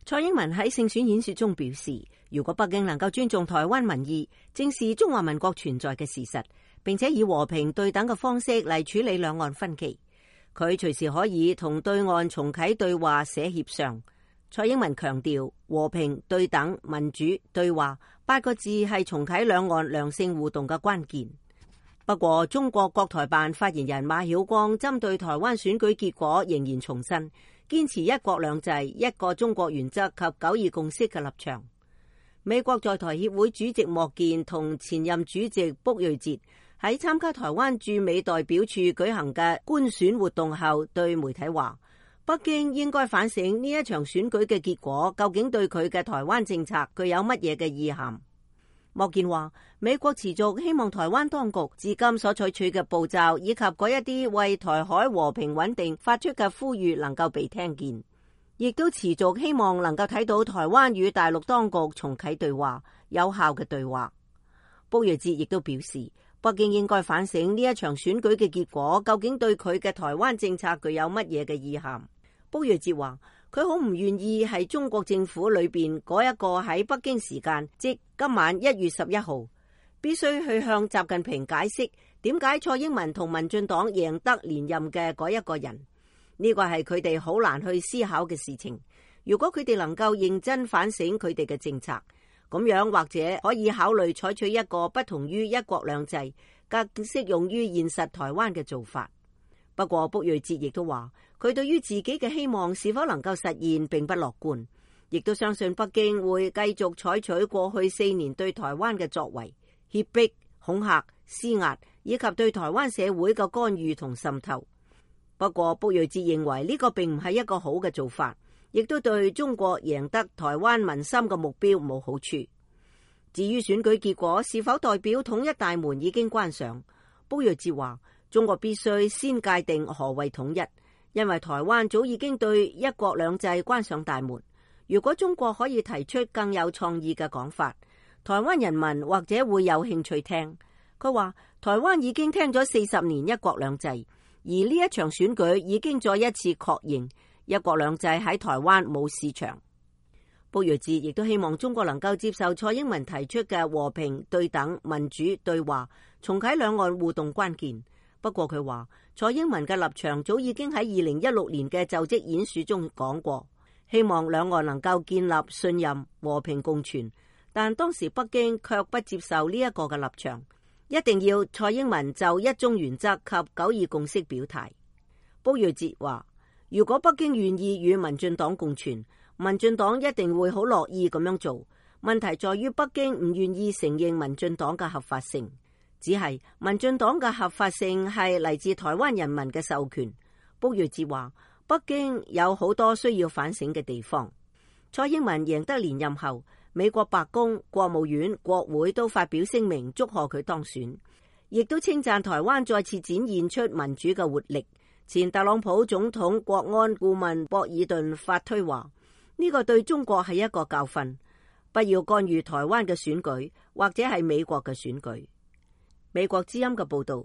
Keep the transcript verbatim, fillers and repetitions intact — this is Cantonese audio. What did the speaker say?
蔡英文喺勝選演說中表示，如果北京能夠尊重台灣民意，正視中華民國存在嘅事實，並且以和平對等嘅方式嚟處理兩岸分歧，佢隨時可以同對岸重啟對話寫協商。蔡英文強調，和平、對等、民主、對話八個字係重啟兩岸良性互動嘅關鍵。不過，中國國台辦發言人馬曉光針對台灣選舉結果仍然重申，堅持一國兩制、一個中國原則及九二共識嘅立場。美國在台協會主席莫健同前任主席卜瑞哲喺參加台灣駐美代表處舉行嘅觀選活動後，對媒體話，北京應該反省呢一場選舉嘅結果究竟對佢嘅台灣政策具有乜嘢嘅意涵。莫健話，美國持續希望台灣當局至今所採取嘅步驟以及嗰一啲為台海和平穩定發出嘅呼籲能夠被聽見，亦都持續希望能夠睇到台灣與大陸當局重啟對話，有效嘅對話。卜瑞哲亦都表示，北京應該反省呢一場選舉嘅結果究竟對佢嘅台灣政策具有乜嘢嘅意涵。卜瑞哲話，佢好唔願意係中國政府裏邊嗰一個喺北京時間，即今晚一月十一號，必須去向習近平解釋點解蔡英文同民進黨贏得連任嘅嗰一個人。呢個係佢哋好難去思考嘅事情。如果佢哋能夠認真反省佢哋嘅政策，咁樣或者可以考慮採取一個不同於一國兩制，更適用於現實台灣嘅做法。不過卜瑞哲亦都話，佢對於自己嘅希望是否能夠實現並不樂觀，亦都相信北京會繼續採取過去四年對台灣嘅作為，脅迫、恐嚇、施壓，以及對台灣社會嘅干預同滲透。不過卜瑞哲認為呢個並唔係一個好嘅做法，亦都對中國贏得台灣民心嘅目標冇好處。至於選舉結果是否代表統一大門已經關上，卜瑞哲話，中國必須先界定何謂統一，因為台灣早已經對一國兩制關上大門。如果中國可以提出更有創意嘅講法，台灣人民或者會有興趣聽。佢話，台灣已經聽咗四十年一國兩制，而呢一場選舉已經再一次確認一國兩制喺台灣冇市場。卜瑞哲亦都希望中國能夠接受蔡英文提出嘅和平、對等、民主、對話，重啟兩岸互動關鍵。不過佢話，蔡英文嘅立場早已經喺二零一六年嘅就職演說中講過，希望兩岸能夠建立信任、和平共存。但當時北京卻不接受呢一個嘅立場，一定要蔡英文就一中原則及九二共識表態。卜瑞哲話，如果北京願意與民進黨共存，民進黨一定會好樂意咁樣做。問題在於北京唔願意承認民進黨嘅合法性。只係民進黨嘅合法性係嚟自台灣人民嘅授權。卜瑞哲話，北京有好多需要反省嘅地方。蔡英文贏得連任後，美國白宮、國務院、國會都發表聲明祝賀佢當選，亦都稱讚台灣再次展現出民主嘅活力。前特朗普總統國安顧問博爾頓發推話，呢個對中國係一個教訓，不要干預台灣嘅選舉，或者係美國嘅選舉。美國之音嘅報道。